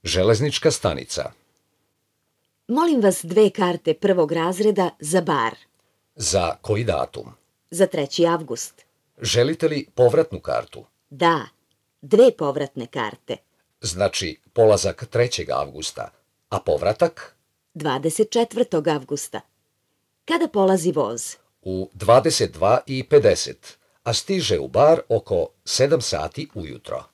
Železnička stanica. Molim vas 2 karte prvog razreda za Bar. Za koji datum? Za 3. avgust. Želite li povratnu kartu? Da, 2 povratne karte. Znači polazak 3. avgusta, a povratak? 24. avgusta. Kada polazi voz? U 22:50, a stiže u Bar oko 7 sati ujutro.